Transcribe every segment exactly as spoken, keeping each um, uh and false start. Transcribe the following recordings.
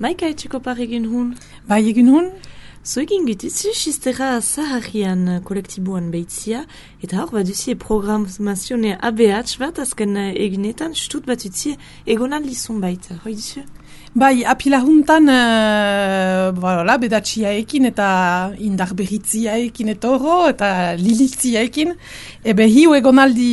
Maika etxeko par egin hun? Bai egin hun? Zo egin gutitzu, xistera Saharian kolektiboan behitzia, eta hor bat duzie programazione A B H bat azken egunetan, stut bat utzie egonaldi zonbait, hoi duzu? Bai, apila juntan, uh, voilà, bedatxiaekin eta indar berritziaekin etoro, eta lilitziaekin. Ebe hiu egonaldi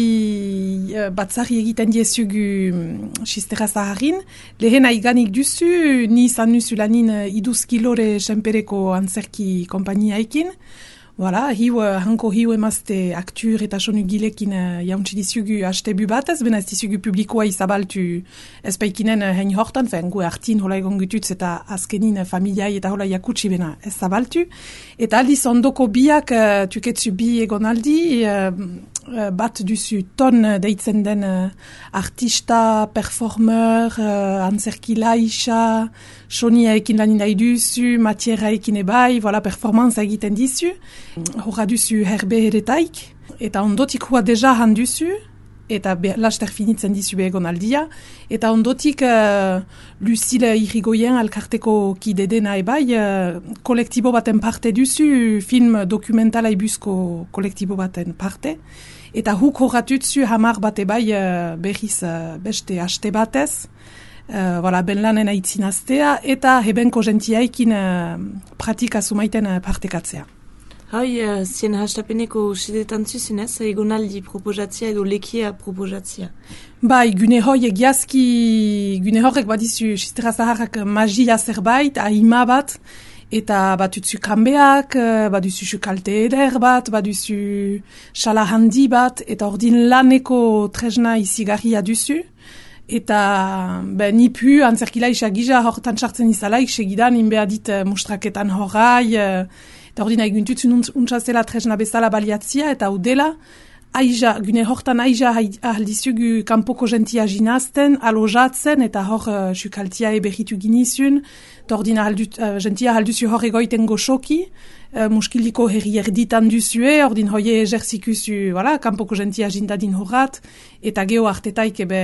uh, batzari egiten diezugu um, xistera Saharin. Lehen aiganik duzu, ni izan nuzu lanin uh, iduzkilore senpereko antzerki kompaniaekin. Voilà, hiu, uh, hanko hiu emazte aktur eta sonu gilekin uh, jauntsi dizugu hastebu batez, bena ez dizugu publikoa izabaltu ezpaikinen uh, hein hortan, fen gu hartin hola egon gututz eta azkenin uh, familiai eta hola jakutsi bena ez zabaltu. Eta aldiz ondoko biak uh, tuketzu bi egonaldi, uh, uh, bat duzu ton deitzen den uh, artista, performer, uh, antzerkila isa, soniaekin lanin nahi duzu, matieraekin ebai, voilà, performance egiten dizu. Horra duzu herbe heretaik, eta ondotik hua deja handuzu, eta be, laster finitzen dizu begonaldia, eta ondotik uh, Lucille Irigoyen alkarteko kide dena ebai, uh, kolektibo baten parte duzu, film dokumentala ibuzko kolektibo baten parte, eta huk horratutzu hamar bat ebai uh, berriz uh, beste haste batez, Uh, voilà, ben lanen aitzin aztea, eta hebenko gentiaikin uh, pratika sumaiten uh, partekatzea. Hoi, uh, zien hastapeneko sedetan zuzenez, egonaldi proposatzia edo lekia proposatzia. Bai, gune hoi egiazki, gune horrek badizu xistera zaharrak magia zerbait, ahima bat, eta batutzu kanbeak, baduzu kalte eder bat, baduzu xala handi bat, eta ordin laneko tresna izigarria duzu. Eta ben, nipu antzerkila isa gisa hortan sartzen izalaik segidan inbea dit uh, mustraketan horrai uh, eta ordina eguntutzun untsazela tresna bezala baliatzia eta udela aiza, gune hortan aiza ahaldizugu kanpoko gentia jinazten, alojatzen eta hor uh, sukaltia eberritu ginizun eta ordina uh, gentia ahalduzu hor egoiten goxoki uh, muskiliko herri erditan duzue, ordin hoie ejerzikuzu, voilà, kanpoko gentia jindadin horrat eta geho artetaik ebe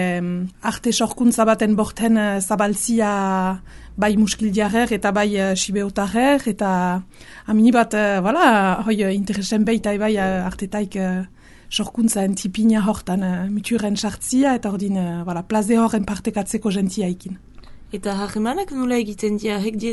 arte sorkuntza baten borten uh, zabaltzia bai muskildiarer eta bai uh, sibeotarer eta amini bat, uh, voilà, hoi uh, interesen beita bai uh, artetaik uh, sorkuntza entipina hortan uh, muturen sartzia eta ordin uh, voilà, plaze horren partekatzeko gentiaikin. Eta harremanak nula egiten dia, hek die,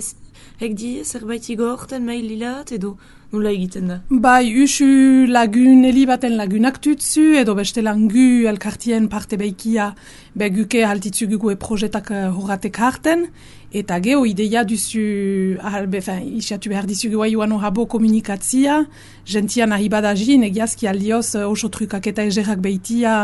hek die zerbait igorten maililat edo nula egiten da? Bai, usu lagun elibaten lagunak tutzu edo beste langu elkartien parte beikia beguke haltitzugu e projetak horratek harten eta geho ideia duzu ahalbe, fin, isiatu behar dizugu aiuan horabo komunikatzia, gentian ahibadajin egiazki aldioz oso trukak eta egerak beitia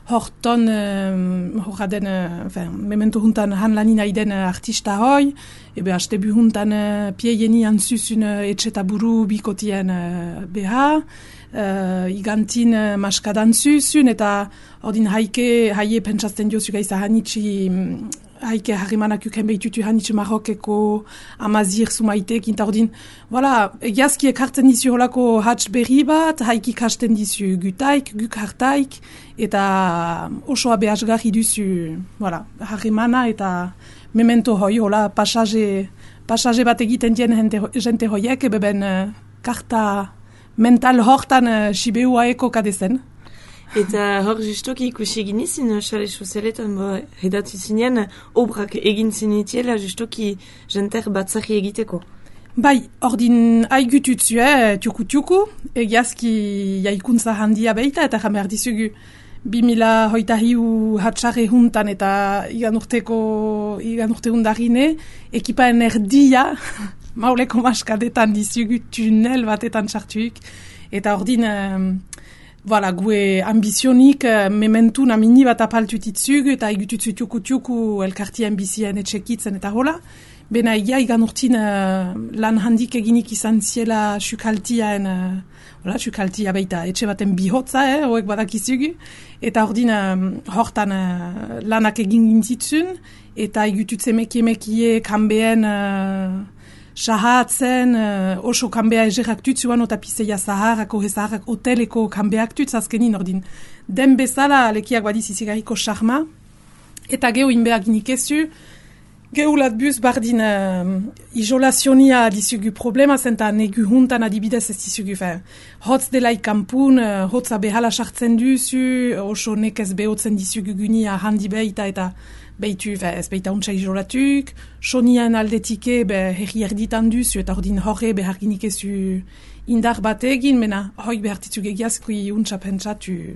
horton uh, horra den, uh, memento juntan han lanin aiden uh, artista hoi, ebe hastebu juntan uh, pieieni antzuzun uh, etxeta buru bikotien uh, beha, uh, igantin uh, maskadan zuzun, eta ordin haike, haie pentsazten diozuk aiza hanitzi, um, haike harrimanak uken behitutu hanitzi Marokeko amazir sumaitek, eta ordin, voilà, egiazki ekartzen dizu holako hatz berri bat, haiki kasten dizu gutaik, guk hartaik, eta osoa behasgarri duzu, voilà, harrimana eta memento hoi, hola, pasaje, pasaje bat egiten dien jente, jente hoiek, ebeben uh, karta mental hortan uh, sibeua eko kadezen. Eta hor justoki ikusi egin izin, xale sozialetan redatu zinen, obrak egin zinitiela justoki jenter batzari egiteko. Bai, ordin haigututzu, eh, tiuku-tiuku, egiazki jaikuntza handia beita, eta jamer dizugu bi mila hoita hiu hatxarre juntan eta igan urteko, igan urte hundarine, ekipaen erdia, mauleko maskadetan dizugu tunel batetan sartuik, eta ordin, um, voilà, gue ambizionik, uh, mementu namini bat apaltutitzug, eta igututzu tiuku-tiuku elkartien bizien etxekitzen eta hola, bena egia igan urtin uh, lan handik eginik izan ziela sukaltiaen, uh, voilà, sukaltia baita etxe baten bihotza, eh, hoek badakizugu, eta ordin um, hortan uh, lanak egin gintitzun, eta igututze mekie-mekie kanbeen uh, sahatzen, uh, oso kanbea egerak tutzuan, eta piseia zaharrak, ohezaharrak, hoteleko kanbeak tutz azkenin ordin. Den bezala lekiak badiz izigarriko charma, eta geho inbeak nik ezu, Geulat bus bardin uh, isolazionia dizugu problema zenta negu juntan adibidez ez dizugu fe. Hotz dela ikampun, uh, hotza behala sartzen duzu, oso nekez behotzen dizugu gunia handi behita eta behitu fe, ez behita untsa isolatuk, sonian aldetike be herri erditan duzu eta ordin horre beharginik ezu indar bat egin, mena hoi behartitzuk egiazkui untsa pentsatu.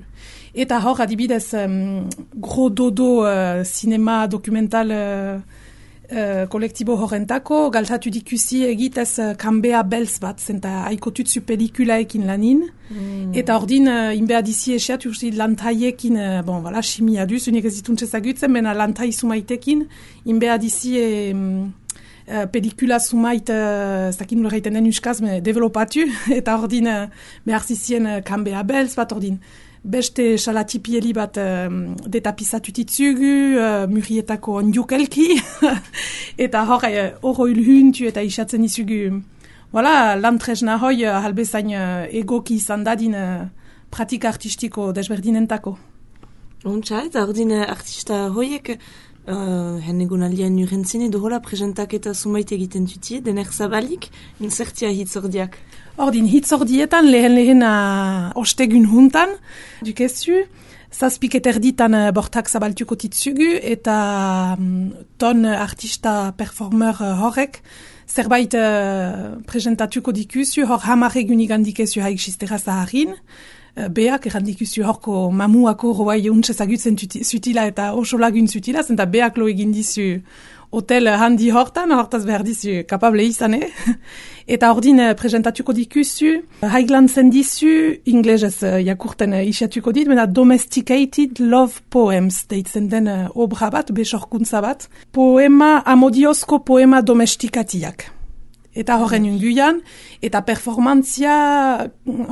Eta hor adibidez um, gro dodo uh, cinema dokumental uh, Uh, kolektibo horrentako, galtatu dikusi egitez uh, kambea belz bat, zenta haikotutzu pelikulaekin lanin, mm. eta ordin uh, inbea dizi eseat, uste lantaiekin, uh, bon, voilà, chimia duz, unik ez dituntze zagutzen, mena lantai sumaitekin, inbea dizi um, uh, pelikula sumait, ez uh, dakin nula reiten den uskaz, me developatu, eta ordin uh, behar zizien uh, kambea belz bat, ordin beste salatipieli bat um, detapizatutitzugu, uh, murietako ondiukelki, eta hor, oro ilhuntu eta isatzen izugu. Voilà, lantresna hoi uh, halbezain uh, egoki izan dadin uh, pratika artistiko desberdinentako. Ontsa, eta ordin artista hoiek, uh, hen egun aldean urentzen edo hola presentak eta sumait egiten tutie, dener zabalik, insertia hitzordiak. Ordin, hitzordietan lehen lehen uh, ostegun juntan, dukezu, zazpiket erditan uh, bortak zabaltuko titzugu, eta um, ton artista performer uh, horrek, zerbait uh, presentatuko dikuzu, hor hamar egunik handikezu haik sistera zaharin, uh, beak errandikuzu horko mamuako roai untse zagutzen zutila eta oso lagun zutila, zenta beak lo egin dizu hotel handi hortan, hortaz behar dizu kapable izan, eh? Eta ordin uh, presentatuko dikuzu, haiglantzen dizu, inglesez uh, jakurten uh, isiatuko dit, mena domesticated love poems, deitzen den uh, obra bat, besorkuntza bat, poema, amodiozko poema domestikatiak. Eta horren unguian, eta performantzia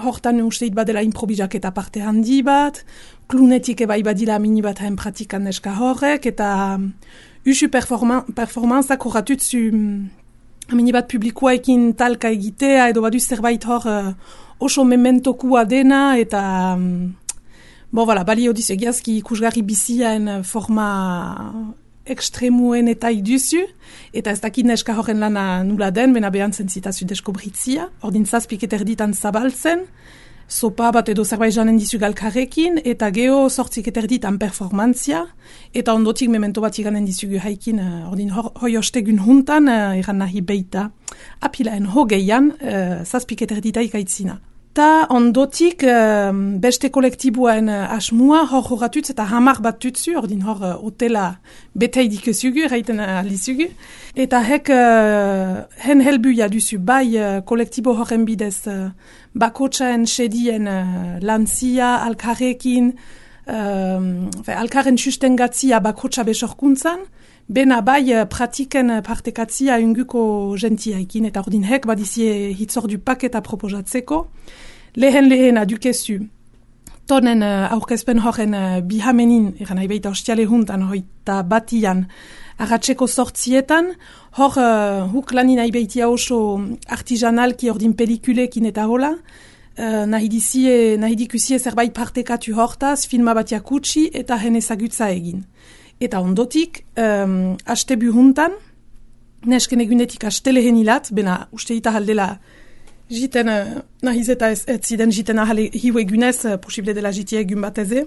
hortan usteit badela improvisak eta parte handi bat, klunetik ebai badila mini bat hain pratikan neska horrek, eta usu performan, performantzak horratutzu mini bat publikoekin talka egitea, edo badu zerbait hor uh, oso mementokua dena, eta um, bo, voilà, balio dizu egiazki ikusgarri biziaen forma ekstremuen eta iduzu, eta ez dakit neska horren lana nula den, bena behantzen zitazu deskobritzia, ordin zazpik erditan zabaltzen, sopa bat edo zerbait janen dizu galkarrekin, eta geho sortzik erditan performantzia, eta ondotik memento bat iganen dizugu haikin, uh, ordin hoi ostegun juntan, uh, iran nahi beita, apilaen hogeian, uh, zazpik erdita ikaitzina. Ta ondotik uh, beste kolektiboen uh, asmua hor horatutz eta hamar bat tutzu, ordin hor uh, hotela betei dikezugu, reiten uh, alizugu. Eta hek uh, hen helbuia duzu bai uh, kolektibo horren bidez uh, bakotxaen sedien uh, lantzia, alkarrekin, uh, alkarren sustengatzia bakotxa besorkuntzan, bena bai uh, pratiken partekatzia unguko gentiaikin, eta ordin hek badizie hitzordu paketa proposatzeko. Lehen lehena dukezu, tonen uh, aurkezpen horren uh, bihamenin, eran haibeita ostiale juntan, hoita batian, arratseko sortzietan, hor uh, huk lanin haibeitia oso artisanalki ordin pelikulekin eta hola, uh, nahi dizie, nahi dikusie zerbait partekatu hortaz, filma bat jakutsi eta hen ezagutza egin. Eta ondotik, um, astebu juntan, nesken egunetik aste lehen hilat, bena usteita haldela jiten, uh, nahiz eta ez, ez ziden jiten ahal hiu egunez, uh, posible dela jitie egun bateze,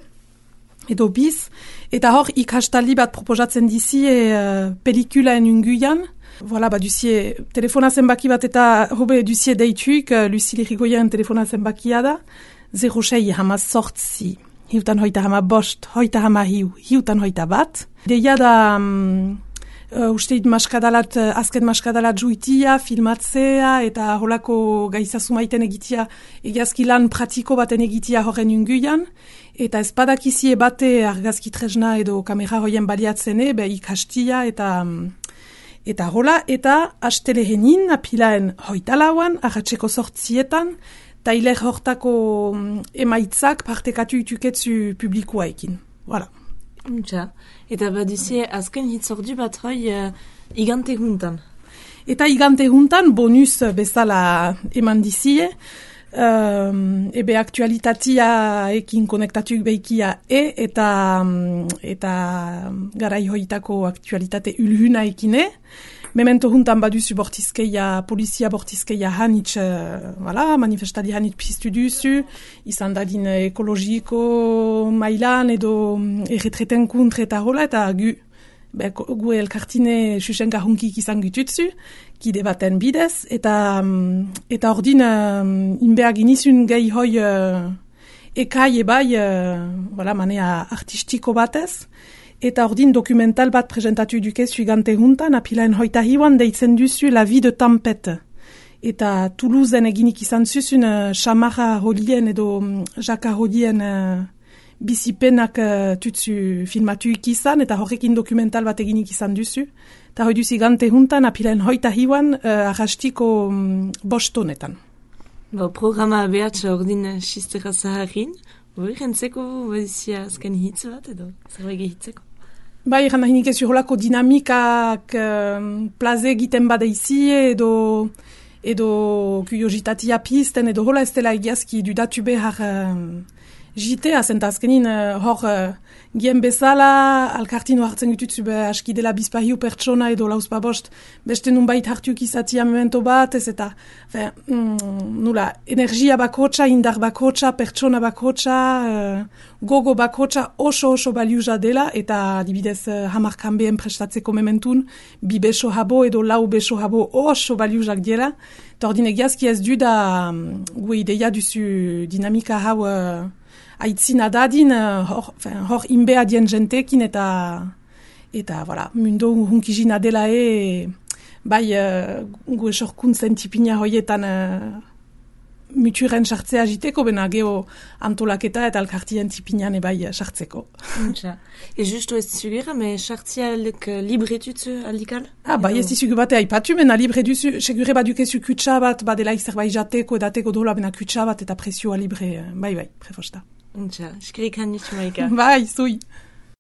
edo biz, eta hor ikastaldi bat proposatzen dizie uh, pelikulaen unguian, voilà, ba duzie telefona zenbaki bat eta hobe duzie deituik, uh, Lucille Irigoyen telefona zenbakia da, zero sei hama sortzi, hiutan hoita hama bost, hoita hama hiu, hiutan hoita bat. Deia da, um, uh, usteit maskadalat, uh, azken maskadalat juitia, filmatzea, eta holako gaizazumaiten egitia, egiazki lan pratiko baten egitia horren unguian, eta ezpadakizie bate argazki tresna edo kamera hoien baliatzene, be ikastia eta eta hola, eta astelehenin apilaen hoita lauan, arratseko sortzietan, tailer hortako emaitzak partekatu ituketzu publikoaekin. Voilà. Untxa. Eta baduzie azken hitzordu bat hoi uh, igante juntan. Eta igante juntan bonus bezala eman dizie, Um, ebe aktualitatea ekin konektatuik behikia e, eta, eta garai hoitako aktualitate ulhuna ekine. Memento juntan baduzu bortizkeia, polizia bortizkeia hanitz, uh, voilà, manifestali hanitz piztu duzu, izan dadin ekologiko mailan edo erretreten kontre eta hola, eta gu, be, gu elkartine susenka hunkik izan gututzu, kide baten bidez, eta eta ordin uh, inbeag inizun gehi hoi uh, ekai ebai, uh, voilà, manea artistiko batez, eta ordin dokumental bat presentatu duke suigante juntan, apilaen hoita hiuan deitzen duzu La vie de tempête. Eta Toulousen eginik izan zuzun uh, Chamarra Rolien edo um, Jaka Rolien uh, bizipenak uh, tutsu filmatuik izan, eta horrekin dokumental bat eginik izan duzu. Eta hoi duzi gante juntan, apilaen hoita hiuan uh, arrastiko um, bostonetan. Bo, programa behatxa ordin xistera zaharin, hori jentzeko badizia azken hitz bat edo, zerbait gehitzeko? Bai, eran nahi nik ez horrelako dinamikak uh, plaze egiten badeizi edo edo kuriositatea pizten edo hola ez dela egiazki dudatu behar uh, jitea, zenta azkenin uh, hor uh, gien bezala alkartino hartzen gututzu be aski dela bizpahiu pertsona edo lauzpa bost beste nunbait hartuik izatia memento bat ez eta fe, mm, nula, energia bakotxa, indar bakotxa, pertsona bakotxa, uh, gogo bakotxa oso oso baliuza dela eta dibidez uh, hamarkan behen prestatzeko mementun bi beso habo edo lau beso habo oso baliuzak dela eta ordin egiazki ez du da um, gu ideia duzu dinamika hau uh, aitzina dadin, hor, hor inbea dien jentekin eta, eta, voilà, mundo hunkizina dela e, bai, uh, gu esorkuntzen tipina hoietan uh, muturen sartzea jiteko, bena geho antolaketa eta alkartien tipinan ebai sartzeko. E justu ez zugera, me sartzea aldek libre tutzu aldikal? Ah, bai, ez dizugu bate aipatu, mena libre duzu, segure badukezu kutsa bat, badela zerbait jateko edateko dola, bena kutsa bat eta presioa libre, bai, bai, prefosta. Untxa, eskerik hanitz maika. Bai, zui.